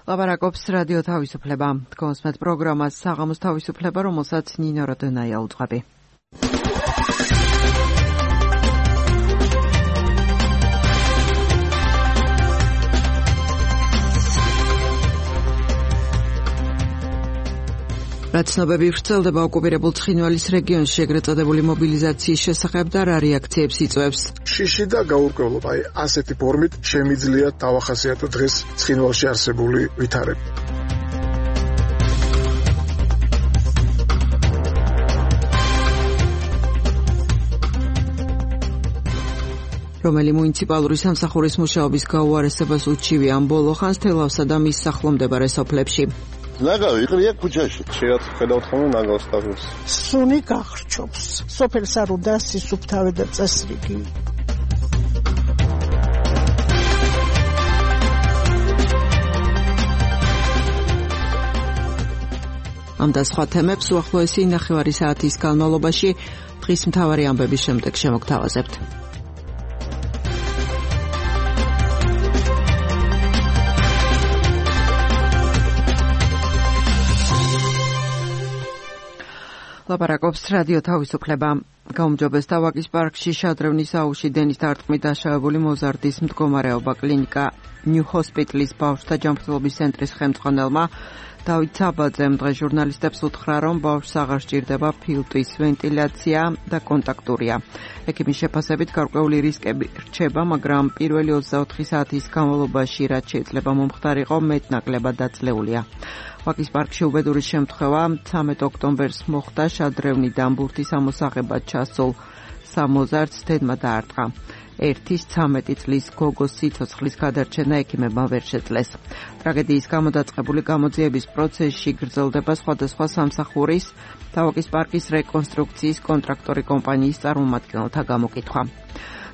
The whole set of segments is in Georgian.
ლაპარაკობს რადიო თავისუფლება. კონსმეთ პროგრამას საღამოს თავისუფლება, რომელსაც ნინო როდონაია უძღვები. რაც ცნობები ვრცელდება ოკუპირებულ ცხინვალის რეგიონში ეგრეთ წოდებული მობილიზაციის შესახებ და რა რეაქციებს იწვევს. შიში და გაურკვევლობა, ასეთი ფორმით შემიძლია დავახასიათო დღეს ცხინვალში არსებული ვითარება. რომელი მუნიციპალური სამსახურის მუშაობის გაუარესებას უჩივი ამ ბოლო ხანს თელავსა და მის სახლომდებარე სოფლებში. ნაგავი იყრია ქუჩაში. შეიძლება ხედავთ ხოლმე ნაგავს თავს. სუნი გახრჩობს. სოფელს არ უნდა სისუფთავე და წესრიგი. ამ და სხვა თემებს უახლოესი 9 საათის განმავლობაში დღის მთავარი ამბების შემდეგ შემოგთავაზებთ. ლაპარაკობს რადიო თავისუფლება. გაუმჯობესდა ვაკის პარკში შადრევნის აუზში დენის დარტყმით დაშავებული მოზარდის მდგომარეობა. კლინიკა ნიუ ჰოსპიტალის ბავშვთა ჯანმრთელობის ცენტრის ხელმძღვანელმა დავით საბაძემ დღეს ჟურნალისტებს უთხრა, რომ ბავშვს აღარ სჭირდება ფილტვის ვენტილაცია და კონტაქტურია. ექიმის შეფასებით გარკვეული რისკები რჩება, მაგრამ პირველი 24 საათის განმავლობაში, რაც შეიძლება მომხდარიყო, მეტნაკლებად დაძლეულია. ვაკის პარკში უბედური შემთხვევა 13 ოქტომბერს მოხდა. შადრევნიდან ბურთის ამოსაღებად ჩასულ სამოზარდს დედმა დაარტყა. 13 წლის გოგოს სიცოცხლის გადარჩენა ექიმებმა ვერ შეძლეს. ტრაგედიის გამო დაწყებული გამოძიების პროცესში გრძელდება სხვადასხვა სამსახურის და ვაკის პარკის რეკონსტრუქციის კონტრაქტორი კომპანიის წარმომადგენელთა გამოკითხვა.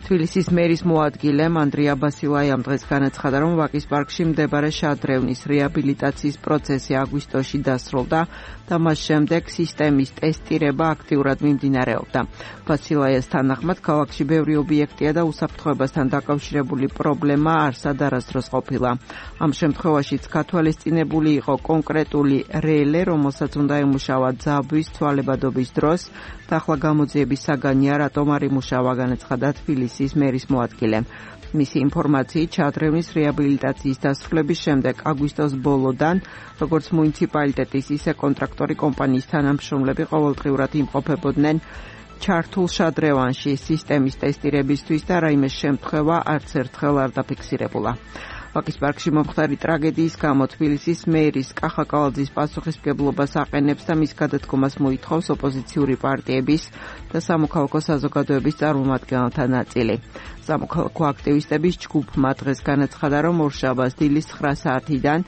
თბილისის მერის მოადგილემ ანდრია ბასილაიამ დღეს განაცხადა, რომ ვაკის პარკში მდებარე შადრევნის რეაბილიტაციის პროცესი აგვისტოში დასრულდა და მას შემდეგ სისტემის ტესტირება აქტიურად მიმდინარეობდა. ბასილაიას თანახმად, ქალაქში ბევრი ობიექტია და უსაფრთხოებასთან დაკავშირებული პრობლემა არსად არასდროს ყოფილა. ამ შემთხვევაშიც გათვალისწინებული იყო კონკრეტული რელე, რომელსაც უნდა ემუშავა ძაბვის ცვალებადობის დროს და ახლა გამოძიების საგანია, რატომ არ იმუშავა, განაცხადა თბილისის მერის მოადგილემ. მისი ინფორმაციით, შადრევნის რეაბილიტაციის დასრულების შემდეგ აგვისტოს ბოლოდან, როგორც მუნიციპალიტეტის, ისე კონტრაქტორი კომპანიის თანამშრომლები ყოველდღიურად იმყოფებოდნენ ჩართულ შადრევანში სისტემის ტესტირებისთვის და რაიმე შემთხვევა არც ერთხელ არ დაფიქსირებულა. ვაკის პარკში მომხდარი ტრაგედიის გამო თბილისის მერის კახა კალაძის პასუხისმგებლობას აყენებს და მის გადადგომას მოითხოვს ოპოზიციური პარტიების და სამოქალაქო საზოგადოების წარმომადგენელთა ნაწილი. სამოქალაქო აქტივისტების ჯგუფმა დღეს განაცხადა, რომ ორშაბათს დილის 9 საათიდან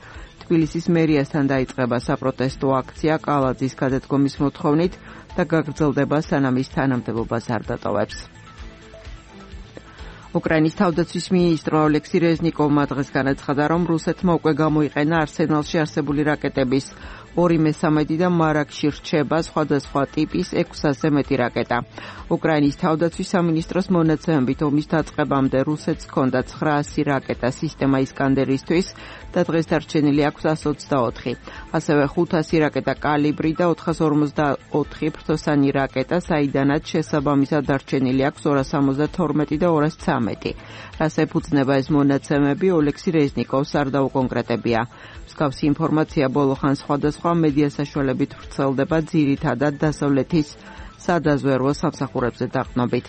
თბილისის მერიასთან დაიწყება საპროტესტო აქცია კალაძის გადადგომის მოთხოვნით და გაგრძელდება, სანამ ის თანამდებობას არ დატოვებს. უკრაინის თავდაცვის მინისტრო ოლექსი რეზნიკოვმა დღეს განაცხადა, რომ რუსეთმა უკვე გამოიყენა არსენალში არსებული რაკეტების 2/3 და მარაგში რჩება სხვადასხვა ტიპის 600-ზე მეტი რაკეტა. უკრაინის თავდაცვის სამინისტროს მონაცემებით ომის დაწყებამდე რუსეთს ჰქონდა 900 რაკეტა სისტემა ისკანდერისთვის და დღეს დარჩენილი აქვს 124. ასევე 500 რაკეტა კალიბრი და 454 ფრთოსანი რაკეტა, საიდანაც შესაბამისად დარჩენილი აქვს 272 და 213. რას ეფუძნება ეს მონაცემები, ოლექსი რეზნიკოვს არ დაუკონკრეტებია. მსგავსი ინფორმაცია ბოლო ხანს სხვადასხვა მედია საშუალებით ვრცელდება, ძირითადად დასავლეთის სადაზვერვო სამსახურებზე დაყრდნობით.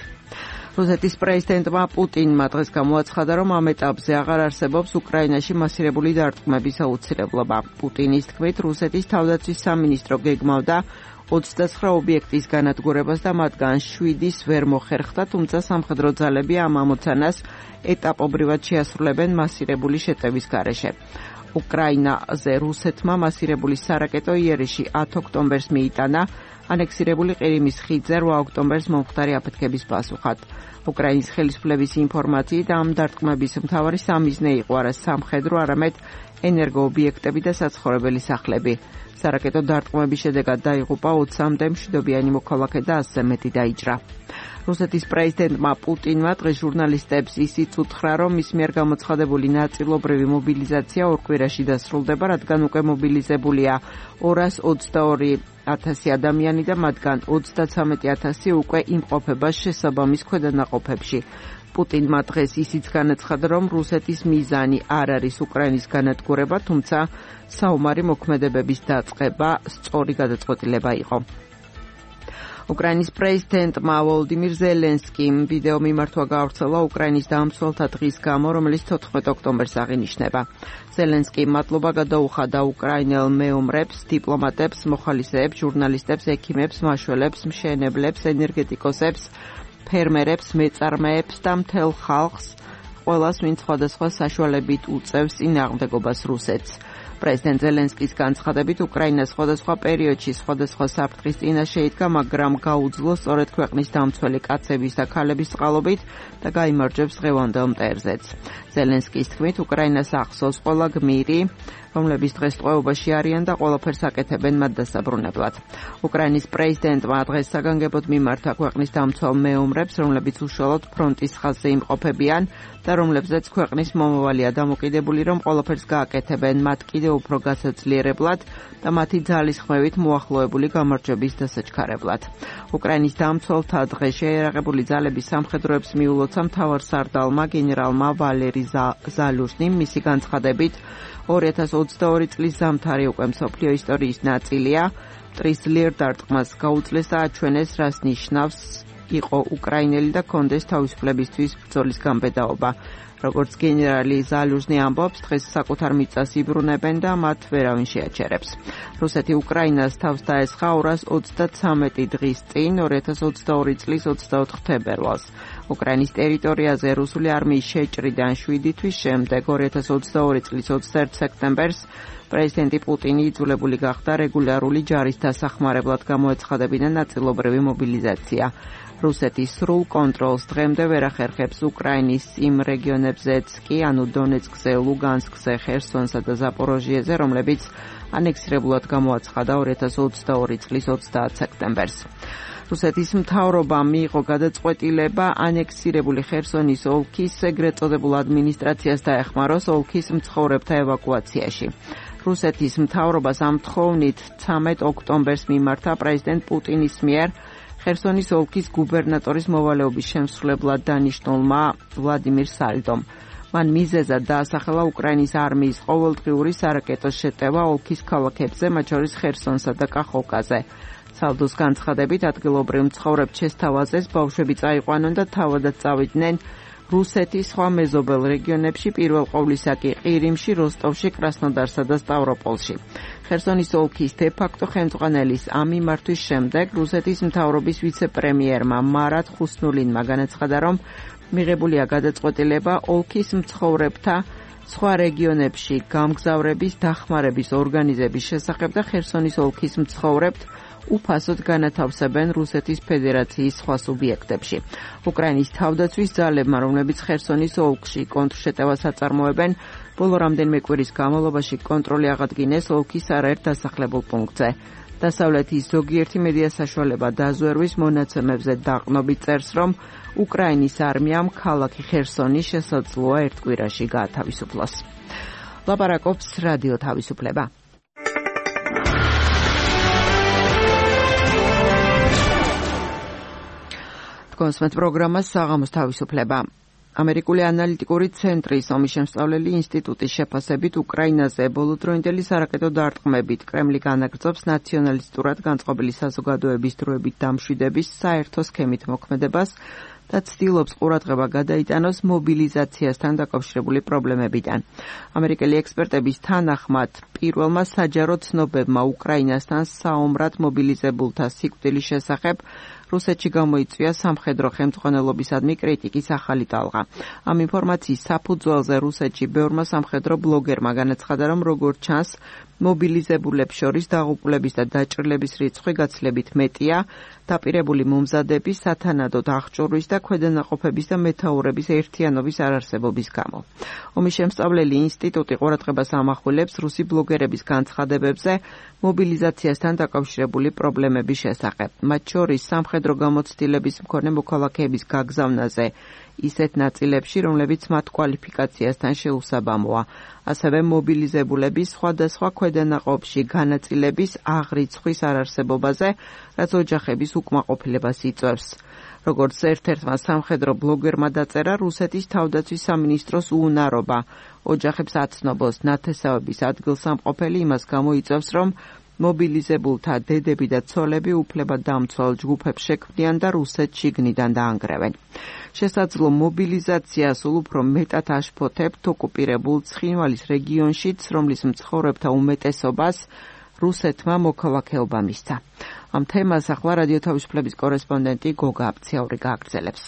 რუსეთის პრეზიდენტმა პუტინმა დღეს გამოაცხადა, რომ ამ ეტაპზე აღარ არსებობს უკრაინაში მასირებული დარტყმების აუცილებლობა. პუტინის თქმით, რუსეთის თავდაცვის სამინისტრო გეგმავდა 29 ობიექტის განადგურებას და მათგან 7-ის ვერ მოხერხდა, თუმცა სამხედრო ძალები ამ ამოცანას ეტაპობრივად შეასრულებენ მასირებული შეტევის გარეშე. უკრაინაზე რუსეთმა მასირებული სარაკეტო იერიში 10 ოქტომბერს მიიტანა, ანექსირებული ყირიმის ხიდზე 8 ოქტომბერს მომხდარი აფეთქების პასუხად. უკრაინის ხელისუფლების ინფორმაციით, ამ დარტყმების მთავარი სამიზნე იყო არა სამხედრო, არამედ ენერგოობიექტები და საცხოვრებელი სახლები. სარაკეტო დარტყმების შედეგად დაიღუპა 20-მდე მშვიდობიანი მოქალაქე და 100-ზე მეტი დაიჭრა. რუსეთის პრეზიდენტმა პუტინმა დღეს ჟურნალისტებს ისიც უთხრა, რომ მის მიერ გამოცხადებული ნაწილობრივი მობილიზაცია ორ კვირაში დასრულდება, რადგან უკვე მობილიზებულია 222,000 ადამიანი და მათგან 33,000 უკვე იმყოფება შესაბამის ქვედანაყოფებში. პუტინმა დღეს ისიც განაცხადა, რომ რუსეთის მიზანი არ არის უკრაინის განადგურება, თუმცა საომარი მოქმედებების დაწყება სწორი გადაწყვეტილება იყო. უკრაინის პრეზიდენტმა ვოლოდიმირ ზელენსკიმ ვიდეო მიმართვა გაავრცელა უკრაინის დამცველთა დღის გამო, რომელიც 14 ოქტომბერს აღინიშნება. ზელენსკიმ მადლობა გადაუხადა უკრაინელ მეომრებს, დიპლომატებს, მოხალისეებს, ჟურნალისტებს, ექიმებს, მაშველებს, მშენებლებს, ენერგეტიკოსებს, ფერმერებს, მეწარმეებს და მთელ ხალხს, ყველას, ვინც სხვადასხვა საშუალებით უწევს წინააღმდეგობას რუსეთს. პრეზიდენტ ზელენსკის განცხადებით, უკრაინა სხვადასხვა პერიოდში სხვადასხვა საფრთხის წინაშე იდგა, მაგრამ გაუძლო სწორედ ქვეყნის დამცველი კაცების და ქალების წყალობით და გაიმარჯვებს დღევანდელ მტერზეც. ზელენსკის თქმით, უკრაინას ახსოვს ყველა გმირი, რომლებიც დღეს ტყვეობაში არიან და ყველაფერს აკეთებენ მათ დასაბრუნებლად. უკრაინის პრეზიდენტმა დღეს საგანგებოდ მიმართა ქვეყნის დამცველ მეომრებს, რომლებიც უშუალოდ ფრონტის ხაზზე იმყოფებიან და რომლებზეც ქვეყნის მომავალია დამოკიდებული, რომ ყველაფერს გააკეთებენ მათ კიდევ უფრო გასაძლიერებლად და მათი ძალისხმევით მოახლოებული გამარჯვების დასაჩქარებლად. უკრაინის დამცველთა დღეს შეიარაღებული ძალების სამხედროებს მიულოცა მთავარსარდალმა გენერალმა ვალერი ზალუჟნიმ. მისი განცხადებით, 2022 წლის ზამთარი უკვე მსოფლიო ისტორიის ნაწილია. მტრის ძლიერ დარტყმას გაუძლეს და აჩვენეს, რას ნიშნავს იყო უკრაინელი და კონდეს თავისუფლებისთვის ბრძოლის გამბედაობა. როგორც გენერალი ზალუჟნი ამბობს, დღეს საკუთარ მიწას იბრუნებენ და მათ ვერავინ შეაჩერებს. რუსეთი უკრაინას თავს დაესხა 233 დღის წინ, 2022 წლის 24 თებერვალს. უკრაინის ტერიტორიაზე რუსული არმიის შეჭრიდან 7 თვის შემდეგ 2022 წლის 21 სექტემბერს პრეზიდენტი პუტინი იძულებული გახდა რეგულარული ჯარის დასახმარებლად გამოეცხადებინა ნაწილობრივი მობილიზაცია. რუსეთის სრულ კონტროლს დღემდე ვერ ახერხებს უკრაინის იმ რეგიონებზეც კი, ანუ დონეცკზე, ლუგანსკზე, ხერსონსა და ზაპოროჟიეზე, რომლებიც ანექსირებულად გამოაცხადა 2022 წლის 30 სექტემბერს. რუსეთის მთავრობამ მიიღო გადაწყვეტილება ანექსირებული ხერსონის ოლქის ეგრეთ წოდებულ ადმინისტრაციას დაეხმაროს ოლქის მცხოვრებთა ევაკუაციაში. რუსეთის მთავრობას ამ თხოვნით 13 ოქტომბერს მიმართა პრეზიდენტ პუტინის მიერ ხერსონის ოლქის გუბერნატორის მოვალეობის შემსრულებლად დანიშნულმა ვლადიმირ სალდომ. მან მიზეზად დაასახელა უკრაინის არმიის ყოველდღიური სარაკეტო შეტევა ოლქის ქალაქებზე, მათ შორის ხერსონსა და კახოვკაზე. სალდოს განცხადებით, ადგილობრივ მცხოვრებთ შესთავაზეს ბავშვები წაიყვანონ და თავადაც წავიდნენ რუსეთის სხვა მეზობელ რეგიონებში, პირველ ყოვლისა კი ყირიმში, როსტოვში, კრასნოდარსა და სტავროპოლში. ხერსონის ოლქის დე-ფაქტო ხელმძღვანელის ამ მიმართვის შემდეგ რუსეთის მთავრობის ვიცე-პრემიერმა მარატ ხუსნულინმა განაცხადა, რომ მიღებულია გადაწყვეტილება ოლქის მცხოვრებთა სხვა რეგიონებში გამგზავრების დახმარების ორგანიზების შესახებ და ხერსონის ოლქის მცხოვრებთ უფასოდ განათავსებენ რუსეთის ფედერაციის სხვა სუბიექტებში. უკრაინის თავდაცვის ძალებმა, რომლებიც ხერსონის ოლქში კონტრშეტევას აწარმოებენ, ბოლო რამდენიმე კვირის განმავლობაში კონტროლი აღადგინეს ოლქის არაერთ დასახლებულ პუნქტზე. დასავლეთის ზოგიერთი მედია საშუალება დაზვერვის მონაცემებზე დაყნობით წერს, რომ უკრაინის არმიამ ქალაქი ხერსონი შესაძლოა ერთ კვირაში გაათავისუფლოს. ლაპარაკობს რადიო თავისუფლება. კონსმეთ პროგრამას საღამოს თავისუფლება. ამერიკული ანალიტიკური ცენტრის ომის შემსწავლელი ინსტიტუტის შეფასებით უკრაინაზე ბოლოდროინდელი სარაკეტო დარტყმებით კრემლი განაგრძობს ნაციონალისტურად განწყობილი საზოგადოების დროებით დამშვიდების საერთო სქემით მოქმედებას და ცდილობს ყურადღება გადაიტანოს მობილიზაციასთან დაკავშირებული პრობლემებიდან. ამერიკელი ექსპერტების თანახმად, პირველმა საჯარო ცნობებმა უკრაინასთან საომრად მობილიზებულთა სიკვდილის შესახებ რუსეთში გამოიწვია სამხედრო ხელმძღვანელობისადმი კრიტიკის ახალი ტალღა. ამ ინფორმაციის საფუძველზე რუსეთში ბევრმა სამხედრო ბლოგერმა განაცხადა, რომ როგორც ჩანს, მობილიზებულებს შორის დაღუპულების და დაჭრილების რიცხვი გაცილებით მეტია, დაპირებული მომზადების, სათანადოდ აღჭურვის და ქვედანაყოფების და მეთაურების ერთიანობის არარსებობის გამო. ომის შემსწავლელი ინსტიტუტი ყურადღებას ამახვილებს რუსი ბლოგერების განცხადებებზე მობილიზაციასთან დაკავშირებული პრობლემების შესახებ. მათ შორის სამხედრო სამხედრო გამოცდილების მქონე მოქალაქეების გაგზავნაზე ისეთ ნაწილებში, რომლებიც მათ კვალიფიკაციასთან შეუსაბამოა. ასევე მობილიზებულების სხვადასხვა ქვედანაყოფში განაწილების აღრიცხვის არარსებობაზე, რაც ოჯახების უკმაყოფილებას იწვევს. როგორც ერთ-ერთმა სამხედრო ბლოგერმა დაწერა, რუსეთის თავდაცვის სამინისტროს უუნარობა ოჯახებს აცნობოს ნათესავების ადგილსამყოფელი იმას გამოიწვევს, რომ მობილიზებულთა დედები და ცოლები უფლებადამცველ ჯგუფებს შექმნიან და რუსეთს შიგნიდან დაანგრევენ. შესაძლო მობილიზაცია სულ უფრო მეტად აშფოთებთ ოკუპირებულ ცხინვალის რეგიონშიც, რომლის მცხოვრებთა უმეტესობას რუსეთმა მოქალაქეობა მისცა. ამ თემას ახლა რადიო თავისუფლების კორესპონდენტი გოგა აფციაური გააგრძელებს.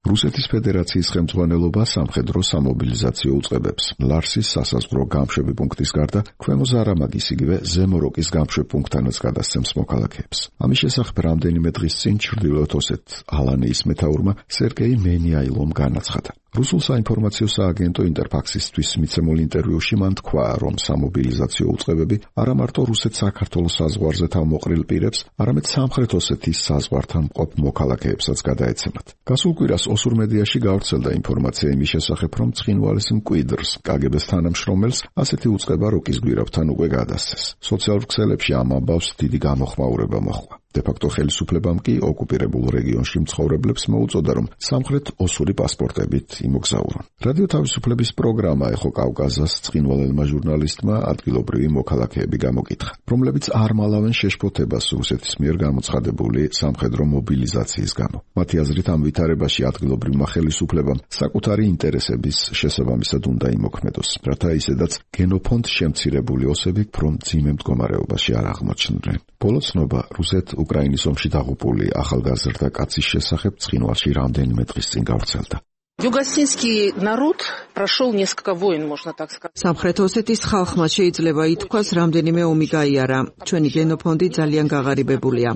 რუსეთის ფედერაციის ხელმძღვანელობა სამხედრო სამობილიზაციო უწყებებს ლარსის სასაზღვრო გამშვები პუნქტის გარდა ქვემო ზარამაგის იგივე ზემო როკის გამშვებ პუნქტთანაც გადასცემს მოქალაქეებს. ამის შესახებ რამდენიმე დღის წინ ჩრდილოეთ ოსეთ ალანეის მეთაურმა სერგეი მენიაილომ განაცხადა. რუსულ საინფორმაციო სააგენტო ინტერფაქსისთვის მიცემულ ინტერვიუში მან თქვა, რომ სამობილიზაციო უწყებები არა მარტო რუსეთ-საქართველოს საზღვარზე თავმოყრილ პირებს, არამედ სამხრეთ ოსეთის საზღვართან მყოფ მოქალაქეებსაც გადაეცემათ. გასულ კვირას ოსურ მედიაში გავრცელდა ინფორმაცია იმის შესახებ, რომ ცხინვალის მკვიდრს, კგბ-ს თანამშრომელს, ასეთი უწყება როკის გვირავთან უკვე გადასცეს. სოციალურ ქსელებში ამ ამბავს დიდი გამოხმაურება მოჰყვა. დე-ფაქტო ხელისუფლებამ კი ოკუპირებულ რეგიონში მცხოვრებლებს მოუწოდა, რომ სამხრეთ ოსური პასპორტებით იმოგზაურონ. რადიო თავისუფლების პროგრამა ეხო კავკაზას ცხინვალელმა ჟურნალისტმა ადგილობრივი მოქალაქეები გამოკითხა, რომლებიც არ მალავენ შეშფოთებას რუსეთის მიერ გამოცხადებული სამხედრო მობილიზაციის გამო. მათი აზრით ამ ვითარებაში ადგილობრივმა ხელისუფლებამ საკუთარი ინტერესების შესაბამისად უნდა იმოქმედოს, რათა ისედაც გენოფონდ შემცირებული ოსები უფრო მძიმე მდგომარეობაში არ აღმოჩნდნენ. ბოლო ცნობა რუსეთ-უკრაინის ომში დაღუპული ახალგაზრდა კაცის შესახებ ცხინვალში რამდენიმე დღის წინ გავრცელდა. Юго-осетинский народ прошел несколько войн, можно так сказать. სამხრეთ ოსეთის ხალხმა შეიძლება ითქვას, რამდენიმე ომი გაიარა. ჩვენი გენოფონდი ძალიან გაღარიბებულია.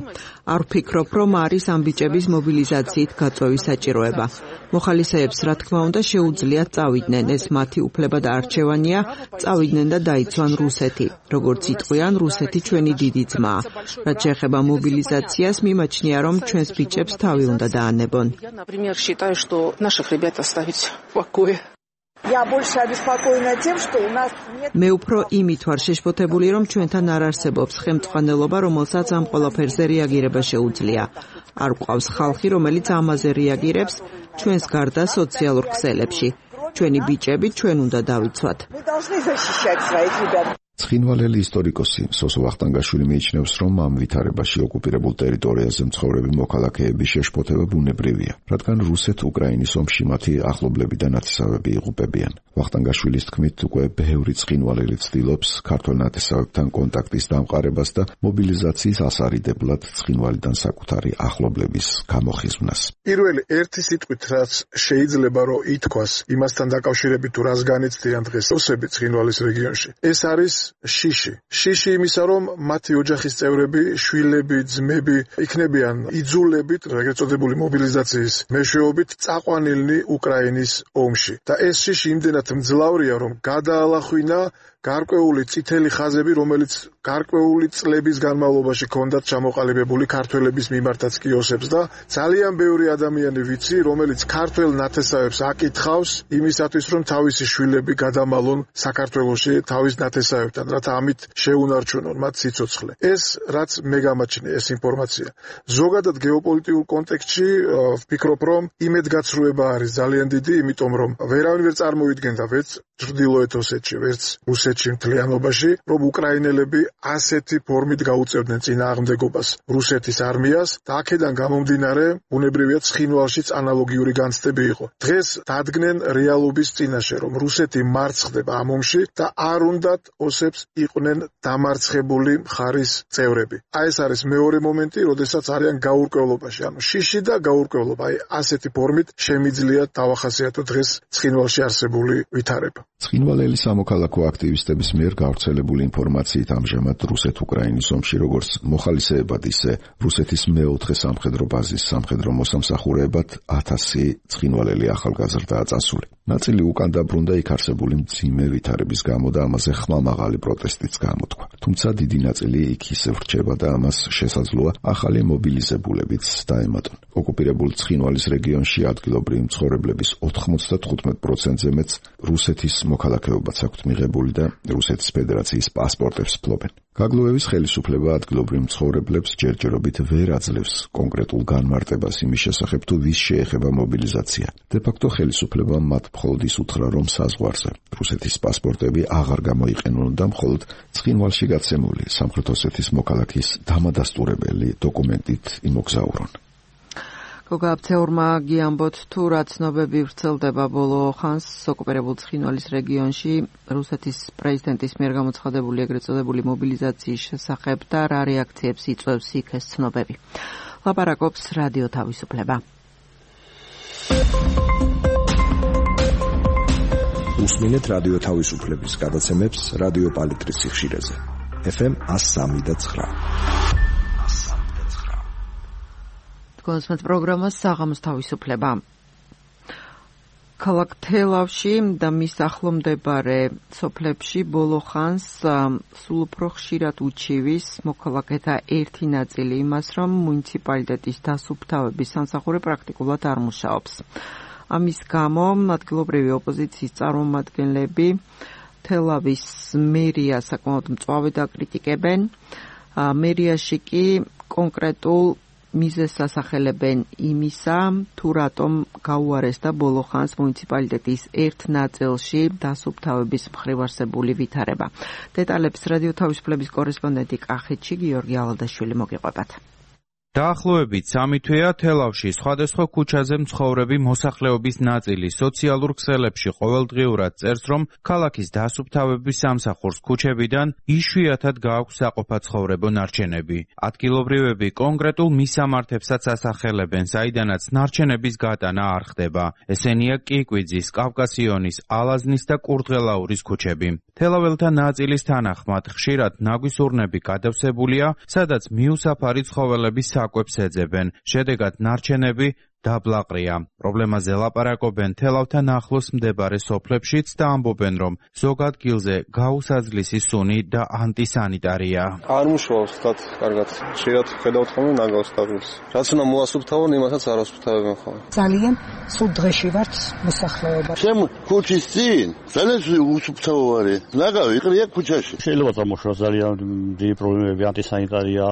არ ვფიქრობ, რომ არის ამ ბიჭების მობილიზაციით გაწვევის საჭიროება. მოხალისეებს, რა თქმა უნდა, შეუძლიათ წავიდნენ, ეს მათი უფლება და არჩევანია, წავიდნენ და დაიცვან რუსეთი. როგორც იტყვიან, რუსეთი ჩვენი დიდი ძმაა. რაც შეეხება მობილიზაციას, მიმაჩნია, რომ ჩვენს ბიჭებს თავი უნდა დაანებონ. Я, например, считаю, что наших ребят оставить в покое. Я больше обеспокоена тем, что у нас нет. მე უფრო იმით ვარ შეშფოთებული, რომ ჩვენთან არ არსებობს ხელმძღვანელობა, რომელსაც ამ ყველაფერზე რეაგირება შეუძლია. არ გვყავს ხალხი, რომელიც ამაზე რეაგირებს ჩვენს გარდა სოციალურ ქსელებში. ჩვენი ბიჭები ჩვენ უნდა დავიცვათ. Мы должны защищать своих ребят. ცხინვალელი ისტორიკოსი სოსო ვახტანგაშვილი მიიჩნევს, რომ ამ ვითარებაში ოკუპირებულ ტერიტორიაზე მცხოვრები მოქალაქეების შეშფოთება ბუნებრივია, რადგან რუსეთ-უკრაინის ომში მათი ახლობლები და ნათესავები იღუპებიან. ვახტანგაშვილის თქმით, უკვე ბევრი ცხინვალელი ცდილობს ქართველ ნათესავებთან კონტაქტის დამყარებას და მობილიზაციის ასარიდებლად ცხინვალიდან საკუთარი ახლობლების გამოხიზვნას. პირველი ერთი სიტყვით, რაც შეიძლება რომ ითქვას იმასთან დაკავშირებით, თუ რას განიცდიან დღეს ოსები ცხინვალის რეგიონში, ეს არის შიში იმისა, რომ მათი ოჯახის წევრები, შვილები, ძმები იქნებიან იძულებით, ეგრეთ წოდებული მობილიზაციის მეშვეობით წაყვანილნი უკრაინის ომში. და ეს შიში იმდენად მძლავრია, რომ გადაალახვინა გარკვეული წითელი ხაზები, რომელიც გარკვეული წლების განმავლობაში ჰქონდათ ჩამოყალიბებული ქართველების მიმართაც კი ოსებს და ძალიან ბევრი ადამიანი ვიცი, რომელიც ქართველ ნათესავებს აკითხავს იმისათვის, რომ თავისი შვილები გადამალონ საქართველოში თავის ნათესავებთან, რათა ამით შეუნარჩუნონ მათ სიცოცხლე. ეს რაც მე გამაჩნია ეს ინფორმაცია. ზოგადად გეოპოლიტიკურ კონტექსტში ვფიქრობ, რომ იმედგაცრუება არის ძალიან დიდი, იმიტომ რომ ვერავინ ვერ წარმოიდგენდა ვერც ჩრდილოეთ ოსეთში, ვერც რუსეთში მთლიანობაში, რომ უკრაინელები ასეთი ფორმით გაუწევდნენ წინააღმდეგობას რუსეთის არმიას და აქედან გამომდინარე, ბუნებრივია ცხინვალშიც ანალოგიური განცდები იყო. დღეს დადგნენ რეალობის წინაშე, რომ რუსეთი მარცხდება ამ ომში და არ უნდათ ოსებს იყვნენ დამარცხებული მხარის წევრები. აი ეს არის მეორე მომენტი, როდესაც არიან გაურკვევლობაში, ანუ შიში და გაურკვევლობა. აი ასეთი ფორმით შემიძლია დავახასიათო დღეს ცხინვალში არსებული ვითარება. ცხინვალელი სამოქალაქო აქტივისტების მიერ გავრცელებული ინფორმაციით ამჟამად რუსეთ-უკრაინის ომში როგორც მოხალისეებად, ისე რუსეთის მეოთხე სამხედრო ბაზის სამხედრო მოსამსახურეებად 1000 ცხინვალელი ახალგაზრდაა წასული. ნაწილი უკან დაბრუნდა იქ არსებული მძიმე ვითარების გამო და ამაზე ხმამაღალი პროტესტიც გამოთქვა. თუმცა დიდი ნაწილი იქ ისევ რჩება და ამას შესაძლოა ახალი მობილიზებულებიც დაემატონ. ოკუპირებულ ცხინვალის რეგიონში ადგილობრივი მცხოვრებლების 95%-ზე მეც რუსეთის მოქალაქეობაც აქვთ მიღებული და რუსეთის ფედერაციის პასპორტებს ფლობენ. გაგლუევის ხელისუფლება ადგილობრივ მცხოვრებლებს ჯერჯერობით ვერ აძლევს კონკრეტულ განმარტებას იმის შესახებ თუ ვის შეეხება მობილიზაცია. დე-ფაქტო ხელისუფლება მათ მხოლოდ ის უთხრა, რომ საზღვარზე რუსეთის პასპორტები აღარ გამოიყენონ და მხოლოდ ცხინვალში გაცემული სამხრეთ ოსეთის მოქალაქის დამადასტურებელი დოკუმენტით იმოგზაურონ. გოგაბცეურმა გიამბოთ თუ რა ცნობები ვრცელდება ბოლო ხანს ოკუპირებულ ცხინვალის რეგიონში რუსეთის პრეზიდენტის მიერ გამოცხადებული ეგრეთ წოდებული მობილიზაციის შესახებ და რა რეაქციებს იწვევს იქ ეს ცნობები. ლაპარაკობს რადიო თავისუფლება. უსმინეთ რადიო თავისუფლების გადაცემებს რადიო პალიტრის სიხშირეზე. FM 103.9. კონსმეთ პროგრამა საღამოს თავისუფლება. ქალაქ თელავში და მის ახლომდებარე სოფლებში ბოლო ხანს სულ უფრო ხშირად უჩივის მოქალაქეთა ერთი ნაწილი იმას, რომ მუნიციპალიტეტის დასუფთავების სამსახური პრაქტიკულად არ მუშაობს. ამის გამო ადგილობრივი ოპოზიციის წარმომადგენლები თელავის მერიას საკმაოდ მწვავედ აკრიტიკებენ. მერიაში კი კონკრეტულ მიზეზს ასახელებენ იმისა, თუ რატომ გაუარესდა ბოლო ხანს მუნიციპალიტეტის ერთ ნაწილში დასუფთავების მხრივ არსებული ვითარება. დეტალებს რადიო თავისუფლების კორესპონდენტი კახეთში გიორგი ალადაშვილი მოგიყვებათ. დაახლოებით 3 თვეა თელავში სხვადასხვა ქუჩაზე მცხოვრები მოსახლეობის ნაწილი სოციალურ ქსელებში ყოველდღიურად წერს, რომ ქალაქის დასუფთავების სამსახურს ქუჩებიდან იშვიათად გააქვს საყოფაცხოვრებო ნარჩენები. ადგილობრივები კონკრეტულ მისამართებსაც ასახელებენ, საიდანაც ნარჩენების გატანა არ ხდება. ესენია კიკვიძის, კავკასიონის, ალაზნის და კურდღელაურის ქუჩები. თელაველთა ნაწილის თანახმად ხშირად ნაგვის ურნები გადავსებულია, სადაც მიუსაფარი ცხოველების საკვებს ეძებენ. შედეგად ნარჩენები დაბლაყრია. პრობლემაზე ლაპარაკობენ თელავთან ახლოს მდებარე სოფლებშიც და ამბობენ, რომ ზოგ ადგილზე გაუსაძლისი სუნი და ანტისანიტარია. არ მუშაობს თათ კარგად. შეიძლება ხედავთ ხოლმე ნაგავს თავს. რაც უნდა მოასუფთავონ, იმასაც არ ასუფთავებენ ხოლმე. ძალიან სულ დღეში ვართ მოსახლეობა. ჩემ ქუჩის წინ ძალიან უსუფთავო არის. ნაგავი იყრია ქუჩაში. შეიძლება წამოშოროს ძალიან დიდი პრობლემები, ანტისანიტარია,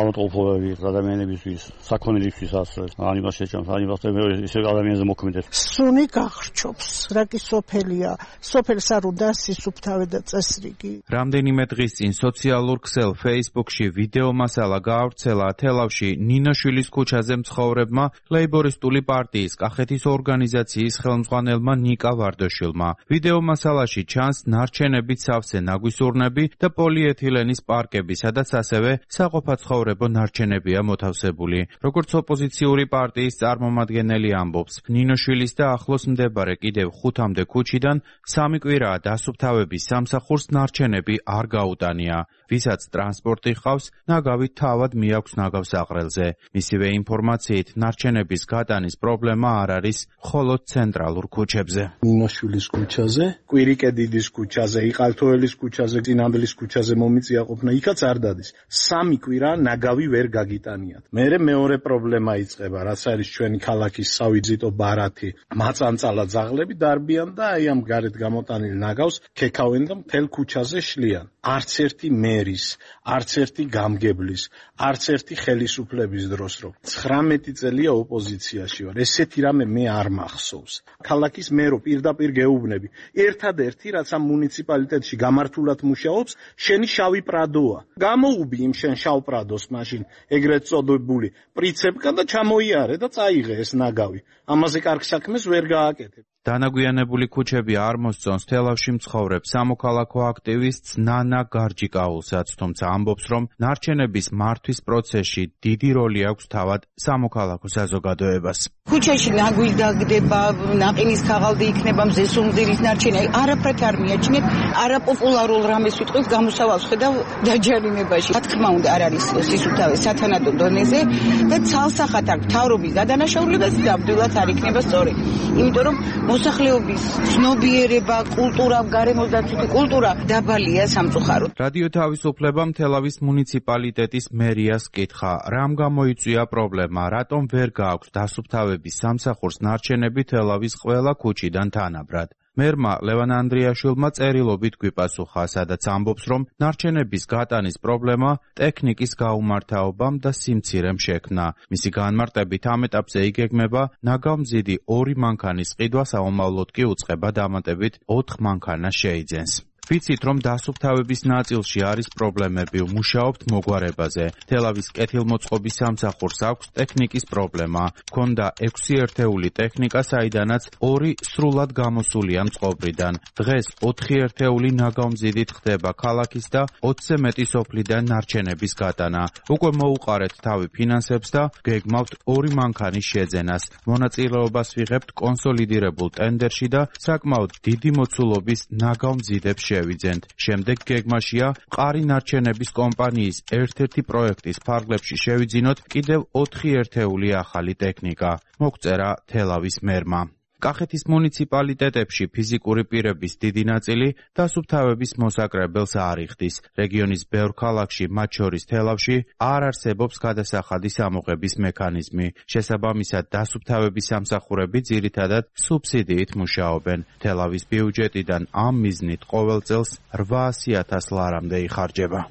ავტომობილები ადამიანებისთვის, საქონელებისთვისაც, ანიმაცია ისე ადამიანზე მოქმედებს. სუნი გახრჩობს, რა კი სოფელია. სოფელს არ უნდა სისუფთავე და წესრიგი. რამდენიმე დღის წინ სოციალურ ქსელ Facebook-ში ვიდეო მასალა გაავრცელა თელავში ნინოშვილის ქუჩაზე მცხოვრებმა ლეიბორისტული პარტიის კახეთის ორგანიზაციის ხელმძღვანელმა ნიკა ვარდოშილმა. ვიდეო მასალაში ჩანს ნარჩენებით სავსე ნაგვის ურნები და პოლიეთილენის პარკები, სადაც ასევე საყოფაცხოვრებო ნარჩენებია მოთავსებული. როგორც ოპოზიციური პარტიის წარმომადგენელი ამბობს, ნინოშვილის და ახლოს მდებარე კიდევ 5-მდე ქუჩიდან 3 კვირაა დასუფთავების სამსახურს ნარჩენები არ გაუტანია. ვისაც ტრანსპორტი ჰყავს, ნაგავი თავად მიაქვს ნაგავს აყრელზე. მისივე ინფორმაციით, ნარჩენების გატანის პრობლემა არ არის მხოლოდ ცენტრალურ ქუჩებზე. ნინოშვილის ქუჩაზე, კვირიკედიდის ქუჩაზე, იყალთოელის ქუჩაზე, წინამბილის ქუჩაზე მომიწია ყოფნა, იქაც არ დადის. 3 კვირა ნაგავი ვერ გაგიტანიათ. მერე მეორე პრობლემა იწყება, რაც არის ჩვენი ქალაქის სავიზიტო ბარათი, მაწანწალა ძაღლები დარბიან და აი ამ გარეთ გამოტანილ ნაგავს ქექავენ და მთელ ქუჩაზე შლიან. არც ერთი მერის, არც ერთი გამგებლის, არც ერთი ხელისუფლების დროს რო 19 წელია ოპოზიციაში ვარ. ესეთი რამე მე არ მახსოვს. ქალაქის მერო პირდაპირ გეუბნები. ერთადერთი რაც ამ მუნიციპალიტეტში გამართულად მუშაობს, შენი შავი პრადოა. გამოუვი იმ შენ შავ პრადოს მაშინ ეგრეთ წოდებული პრიცეპკა და ჩამოიარე და წაიღე ეს ნაგავი. ამაზე კარგ საქმეს ვერ გააკეთებ. დანაგვიანებული ქუჩები არ მოსწონს თელავში მცხოვრებ სამოქალაქო აქტივისტს ნანა გარჯიკაულსაც, თუმცა ამბობს, რომ ნარჩენების მართვის პროცესში დიდი როლი აქვს თავად სამოქალაქო საზოგადოებას. ქუჩაში ნაგვი დაგდება, ნაყინის ქაღალდი იქნება, მზესუმზირის ნარჩენი, არაფრით არ მიაჩნიეთ, არაპოპულარულ რამეს ვიტყვით, გამოსავალს ხედავ დაჯარიმებაში. რა თქმა უნდა, არ არის სისუფთავე სათანადო დონეზე და ცალსახად აქვს მთავრობის გადანაშაულებაც ნამდვილად არ იქნება სწორი. იმიტომ რომ მოსახლეობის ცნობიერება, კულტურა, გარემოსდაცვითი კულტურა დაბალია სამწუხაროდ. რადიო თავისუფლებამ თელავის მუნიციპალიტეტის მერიას კითხა, რამ გამოიწვია პრობლემა, რატომ ვერ გააქვს დასუფთავების სამსახურს ნარჩენები თელავის ყველა ქუჩიდან თანაბრად. მერმა ლევან ანდრიაშვილმა წერილობით გვიპასუხა, სადაც ამბობს, რომ ნარჩენების გატანის პრობლემა ტექნიკის გაუმართავობამ და სიმცირემ შექმნა. მისი განმარტებით ამ ეტაპზე იგეგმება ნაგავმზიდი 2 მანქანის ყიდვა, საომავლოდ კი უწყება დამატებით 4 მანქანას შეიძენს. ვიცით, რომ დასუფთავების ნაწილში არის პრობლემები, მუშაობთ მოგვარებაზე. თელავის კეთილმოწყობის სამსახურს აქვს ტექნიკის პრობლემა. ჰქონდა 6 ერთეული ტექნიკა, საიდანაც 2 სრულად გამოსულია მწყობრიდან. დღეს 4 ერთეული ნაგავმზიდით ხდება ქალაქის და 20-ზე მეტი სოფლიდან ნარჩენების გატანა. უკვე მოუყარეთ თავი ფინანსებს და გეგმავთ 2 მანქანის შეძენას. მონაწილეობას ვიღებთ კონსოლიდირებულ ტენდერში და საკმაოდ დიდი მოცულობის ნაგავმზიდებს შევიძენთ. შემდეგ გეგმაშია მყარი ნარჩენების კომპანიის ერთ-ერთი პროექტის ფარგლებში შევიძინოთ კიდევ 4 ერთეული ახალი ტექნიკა. მოგწერა თელავის მერმა. კახეთის მუნიციპალიტეტებში ფიზიკური პირების დიდი ნაწილი დასუფთავების მოსაკრებელს არ იხდის. რეგიონის ბევრ ქალაქში, მათ შორის თელავში, არ არსებობს გადასახადის ამოღების მექანიზმი. შესაბამისად, დასუფთავების სამსახურები ძირითადად სუბსიდიით მუშაობენ. თელავის ბიუჯეტიდან ამ მიზნით ყოველ წელს 800,000 ლარამდე იხარჯება.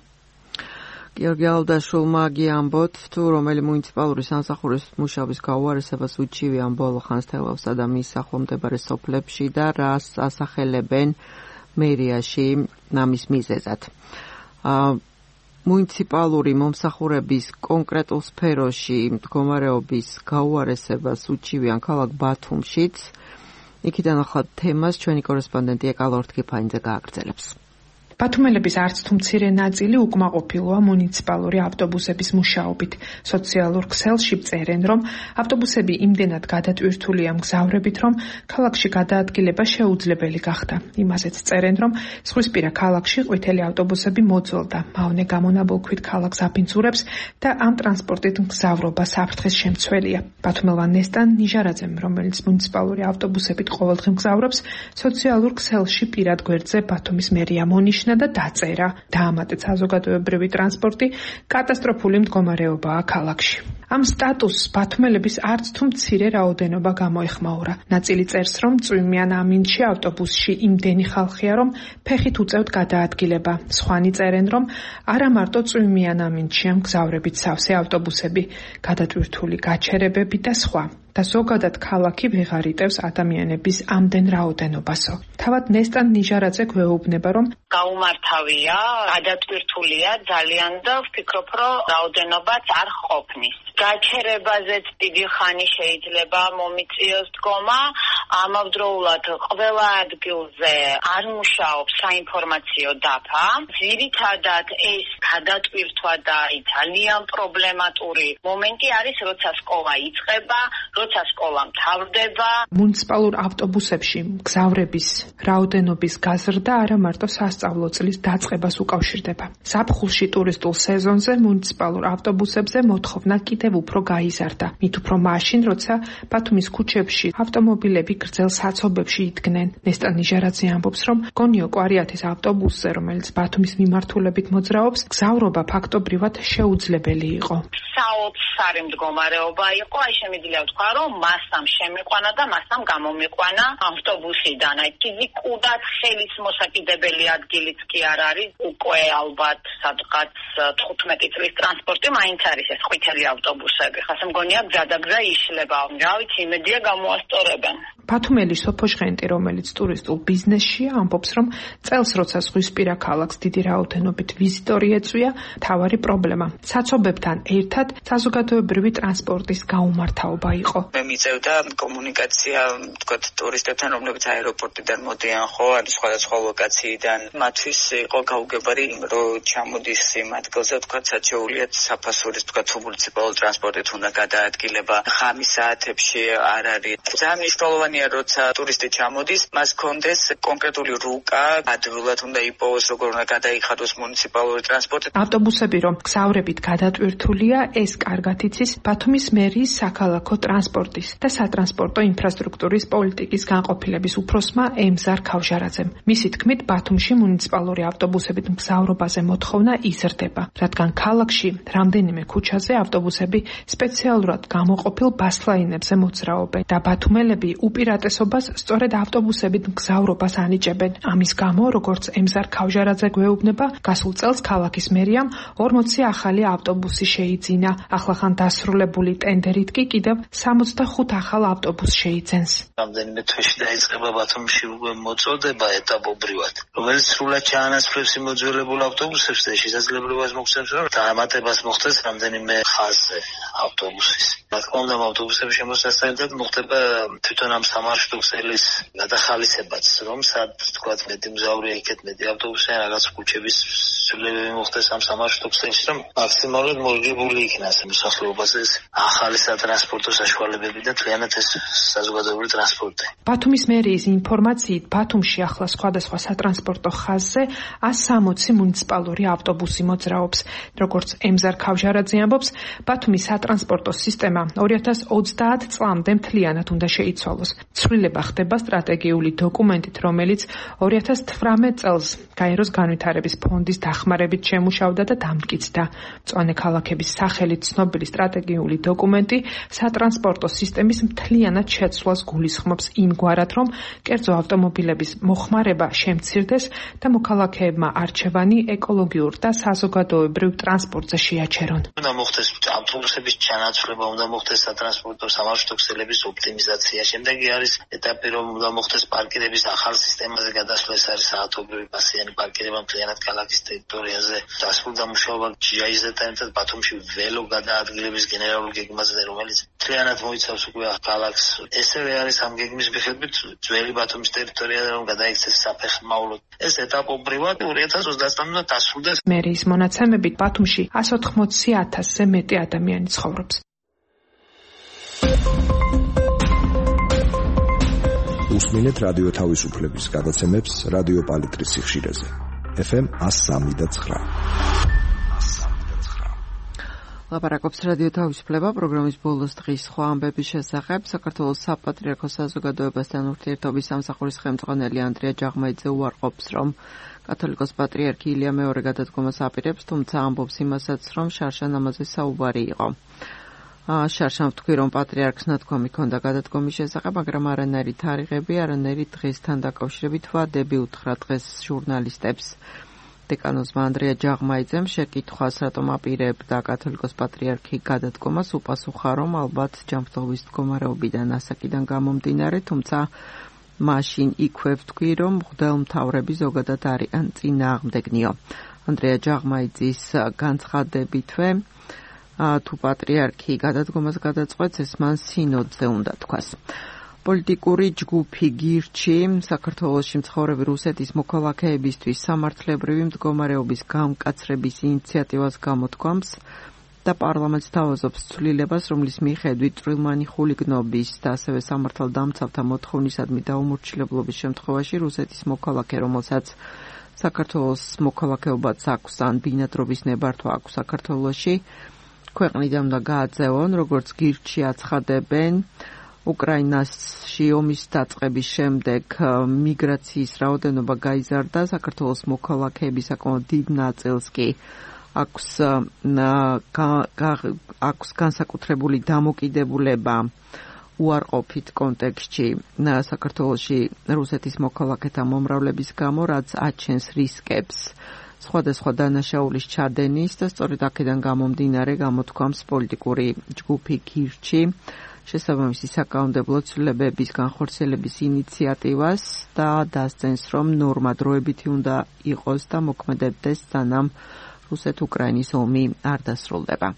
გიორგი ალდაშვილმა გიამბოთ, თუ რომელი მუნიციპალური სამსახურის მუშაობის გაუარესებას უჩივიან ბოლო ხანს თელავსა და მის ახლომდებარე სოფლებში და რას ასახელებენ მერიაში ამის მიზეზად. მუნიციპალური მომსახურების კონკრეტულ სფეროში მდგომარეობის გაუარესებას უჩივიან ქალაქ ბათუმშიც. იქიდან ახლა თემას ჩვენი კორესპონდენტი ეკალ ორთქიფანიძე გააგრძელებს. ბათუმელების არც თუ მცირე ნაწილი უკმაყოფილოა მუნიციპალური ავტობუსების მუშაობით. სოციალურ ქსელში წერენ, რომ ავტობუსები იმდენად გადატვირთულია მგზავრებით, რომ ქალაქში გადაადგილება შეუძლებელი გახდა. იმასაც წერენ, რომ ზღვისპირა ქალაქში ყვითელი ავტობუსები მოძველდა. მავნე გამონაბოლქვით ქალაქს აფინძურებს და ამ ტრანსპორტით მგზავრობა საფრთხეს შემცველია. ბათუმელმა ნესტან ნიჟარაძემ, რომელიც მუნიციპალური ავტობუსებით ყოველდღე მგზავრობს, სოციალურ ქსელში პირად გვერდზე ბათუმის მერია მონიშნა და დაწერა. დაამატეთ საზოგადოებრივი ტრანსპორტი კატასტროფული მდგომარეობაა ქალაქში. ამ სტატუსს ბათუმელების არც თუ მცირე რაოდენობა გამოეხმაურა. ნაწილი წერს, რომ წვიმიან ამინდში ავტობუსში იმდენი ხალხია, რომ ფეხით უწევთ გადაადგილება. სხვანი წერენ, რომ არა მარტო წვიმიან ამინდშია მგზავრებით სავსე ავტობუსები, გადატვირთული გაჩერებები და სხვა. და ზოგადად ქალაქი ვეღარ იტევს ადამიანების ამდენ რაოდენობასო. თავად ნესტან ნიჟარაძე გვეუბნება, რომ გაუმართავია, გადატვირთულია ძალიან და ვფიქრობ, რომ რაოდენობაც არ ყოფნის. გაჩერებაზეც დიდი ხანი შეიძლება მომიწიოს დგომა, ამავდროულად ყველა ადგილზე არ მუშაობს საინფორმაციო დაფა. ძირითადად ეს გადატვირთვა და ძალიან პრობლემატური მომენტი არის, როცა სკოლა იწყება, როცა სკოლა მთავრდება. მუნიციპალურ ავტობუსებში მგზავრების რაოდენობის გაზრდა არა მარტო სასწავლო წლის დაწყებას უკავშირდება. ზაფხულში ტურისტულ სეზონზე მუნიციპალურ ავტობუსებზე მოთხოვნა კიდევ უფრო გაიზარდა. მით უფრო მაშინ, როცა ბათუმის ქუჩებში ავტომობილები გრძელ საცობებში იდგნენ. ნესტან ნიჟარაძე ამბობს, რომ გონიო კვარიათის ავტობუსზე, რომელიც ბათუმის მიმართულებით მოძრაობს, გზავრობა ფაქტობრივად შეუძლებელი იყო. საოცარი მდგომარეობა იყო, აი შემიძლია ვთქვა, რომ მასამ შემიყვანა და მასამ გამომიყვანა ავტობუსიდან. აი ფიზიკურად ხელის მოსაკიდებელი ადგილიც კი არ არის, უკვე ალბათ სადღაც 15 წლის ტრანსპორტი მაინც არის ეს ყვითელი ავტობუსები. ხასე მგონია გზადაგზა იშლება. რა ვიცი, იმედია გამოასწორებენ. ბათუმელი სოფო ჟღენტი, რომელიც ტურისტულ ბიზნესშია, ამბობს, რომ წელს როცა ზღვისპირა ქალაქს დიდი რაოდენობით ვიზიტორი ეწვია, მთავარი პრობლემა საცობებთან ერთად საზოგადოებრივი ტრანსპორტის გაუმართავობა იყო. მე მიწევდა კომუნიკაცია, თქვათ, ტურისტებთან, რომლებიც აეროპორტიდან მოდიან, ხო, ან სხვადასხვა ლოკაციიდან. მათთვის იყო გაუგებარი, რომ ჩამოდის იმ ადგილზე, თქვათ, საჩეულიათ საფასურის, თქვათ, მუნიციპალური ტრანსპორტით უნდა გადაადგილება. ხამის საათებში არ არის. ძალიან მნიშვნელოვანია მგონია როცა ტურისტი ჩამოდის, მას კონდეს კონკრეტული რუკა, ადვილად უნდა იპოვოს, როგორ უნდა გადაიხადოს მუნიციპალური ტრანსპორტი. ავტობუსები რომ გზავრებით გადატვირთულია, ეს კარგად იცის ბათუმის მერიის საქალაქო ტრანსპორტის და სატრანსპორტო ინფრასტრუქტურის პოლიტიკის განყოფილების უფროსმა ემზარ ქავჟარაძემ. მისი თქმით, ბათუმში მუნიციპალური ავტობუსებით მგზავრობაზე მოთხოვნა იზრდება, რადგან ქალაქში რამდენიმე ქუჩაზე ავტობუსები სპეციალურად გამოყოფილ ბასლაინებზე მოძრაობენ და ბათუმელები უპირატესობას სწორედ ავტობუსებით მგზავრობას ანიჭებენ. ამის გამო, როგორც ემზარ ქავჟარაძე გვეუბნება, გასულ წელს ქალაქის მერიამ 40 ახალი ავტობუსი შეიძინა. ახლახან დასრულებული ტენდერით კი კიდევ 65 ახალ ავტობუსს შეიძენს. რამდენიმე თვეში დაიწყება ბათუმში უკვე მოწოდება ეტაპობრივად, რომელიც სრულად ჩაანაცვლებს იმოძველებულ ავტობუსებს და შესაძლებლობას მოგცემს, რომ დამატებას მოხდეს რამდენიმე ხაზზე ავტობუსის. რა თქმა უნდა, ავტობუსების შემოსასწრებით მოხდება თვითონ ამ სამარშრუტო ქსელის გადახალისებაც, რომ სად თქვა მეტი მგზავრია იქეთ მეტი ავტობუსი ან რაღაც ქუჩების ცვლილებები მოხდეს ამ სამარშრუტო ქსელში, რომ მაქსიმალურად მორგებული იქნას მოსახლეობაზე ახალი სატრანსპორტო საშუალებები და მთლიანად ეს საზოგადოებრივი ტრანსპორტი. ბათუმის მერიის ინფორმაციით, ბათუმში ახლა სხვადასხვა სატრანსპორტო ხაზზე 160 მუნიციპალური ავტობუსი მოძრაობს. როგორც ემზარ ქავჟარაძე ამბობს, ბათუმის სატრანსპორტო სისტემა 2030 წლამდე მთლიანად უნდა შეიცვალოს. ცვლილება ხდება სტრატეგიული დოკუმენტით, რომელიც 2018 წელს გაეროს განვითარების ფონდის დახმარებით შემუშავდა და დამტკიცდა. მწვანე ქალაქების სახელით ცნობილი სტრატეგიული დოკუმენტი სატრანსპორტო სისტემის მთლიანად შეცვლას გულისხმობს იმგვარად, რომ კერძო ავტომობილების მოხმარება შემცირდეს და მოქალაქეებმა არჩევანი ეკოლოგიურ და საზოგადოებრივ ტრანსპორტზე შეაჩერონ. უნდა მოხდეს ავტობუსების ჩანაცვლება, უნდა მოხდეს სატრანსპორტო სამარშრუტო ქსელების ოპტიმიზაცია. შემდეგი არის ეტაპი, რომ უნდა მოხდეს პარკირების ახალ სისტემაზე გადასვლა, ეს არის საათობრივი პასიანი პარკირება მთლიანად ქალაქის ტერიტორიაზე. დასრულდა მუშაობა GIZ-თან ერთად ბათუმში ველო გადაადგილების გენერალურ გეგმაზე, რომელიც მთლიანად მოიცავს უკვე ქალაქს. ესევე არის ამ გეგმის მიხედვით ძველი ბათუმის ტერიტორია, რომ გადაიქცეს საფეხმავლოდ. ეს ეტაპობრივად 2030-მდე დასრულდეს. მერიის მონაცემებით ბათუმში 180,000-ზე მეტი ადამიანი ცხოვრობს. უსმინეთ რადიო თავისუფლების გადაცემებს რადიო პალიტრის სიხშირეზე. FM 103.9. ლაპარაკობს რადიო თავისუფლება პროგრამის ბოლოს დღის სხვა ამბების შესახებ. საქართველოს საპატრიარქოს საზოგადოებასთან ურთიერთობის სამსახურის ხელმძღვანელი ანდრია ჯაღმაიძე უარყოფს, რომ კათოლიკოს პატრიარქი ილია მეორე გადადგომას აპირებს, თუმცა ამბობს იმასაც, რომ შარშან ამაზე საუბარი იყო. შარშან ვთქვი, რომ პატრიარქს ნათქვამი ჰქონდა გადადგომის შესახებ, მაგრამ არანაირი თარიღები, არანაირი დღესთან დაკავშირებით ვადები უთხრა დღეს ჟურნალისტებს. დეკანოზმა ანდრია ჯაღმაიძემ შეკითხვას, რატომ აპირებდა კათოლიკოს პატრიარქი გადადგომას, უპასუხა, რომ ალბათ ჯანმრთელობის მდგომარეობიდან ასაკიდან გამომდინარე, თუმცა მაშინ იქვე ვთქვი, რომ მღვდელმთავრები ზოგადად არიან წინააღმდეგნიო. ანდრია ჯაღმაიძის განცხადებითვე თუ პატრიარქი გადადგომას გადაწყვეტს, ეს მან სინოდზე უნდა თქვას. პოლიტიკური ჯგუფი გირჩი საქართველოში მცხოვრები რუსეთის მოქალაქეებისთვის სამართლებრივი მდგომარეობის გამკაცრების ინიციატივას გამოთქვამს და პარლამენტს თავაზობს ცვლილებას, რომლის მიხედვით წვრილმანი ხულიგნობის და ასევე სამართალდამცავთა მოთხოვნისადმი დაუმორჩილებლობის შემთხვევაში რუსეთის მოქალაქე, რომელსაც საქართველოს მოქალაქეობაც აქვს ან ბინადრობის ნებართვა აქვს საქართველოში, ქვეყნიდან უნდა გააძევონ, როგორც გირჩი აცხადებენ. უკრაინაში ომის დაწყების შემდეგ მიგრაციის რაოდენობა გაიზარდა, საქართველოს მოქალაქეების საკმაოდ დიდ ნაწილს კი აქვს განსაკუთრებული დამოკიდებულება უარყოფით კონტექსტში საქართველოში რუსეთის მოქალაქეთა მომრავლების გამო, რაც აჩენს რისკებს სხვადასხვა დანაშაულის ჩადენის და სწორედ აქედან გამომდინარე გამოთქვამს პოლიტიკური ჯგუფი გირჩი შესაბამისი საკანონმდებლო ცვლილებების განხორციელების ინიციატივას და დასცენს, რომ ნორმა დროებითი უნდა იყოს და მოქმედებდეს, სანამ რუსეთ-უკრაინის ომი არ დასრულდება.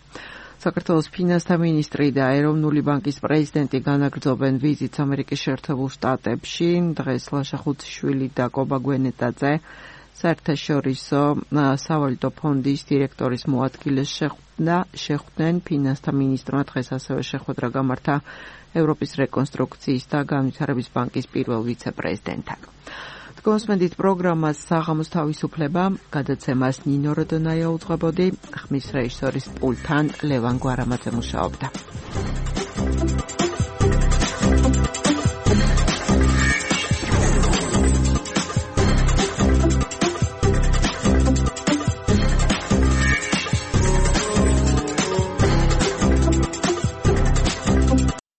საქართველოს ფინანსთა მინისტრი და ეროვნული ბანკის პრეზიდენტი განაგრძობენ ვიზიტს ამერიკის შეერთებულ შტატებში. დღეს ლაშა ხუთიშვილი და კობა გვენეტაძე საერთაშორისო სავალუტო ფონდის დირექტორის მოადგილეს შეხვდნენ ფინანსთა მინისტრმა დღეს ასევე შეხვედრა გამართა ევროპის რეკონსტრუქციის და განვითარების ბანკის პირველ ვიცე-პრეზიდენტთან. კონსმენდით პროგრამას საღამოს თავისუფლება გადაცემას ნინო როდონაია უძღვებოდი, ხმის რეჟისორის პულტთან ლევან გვარამაძე მუშაობდა.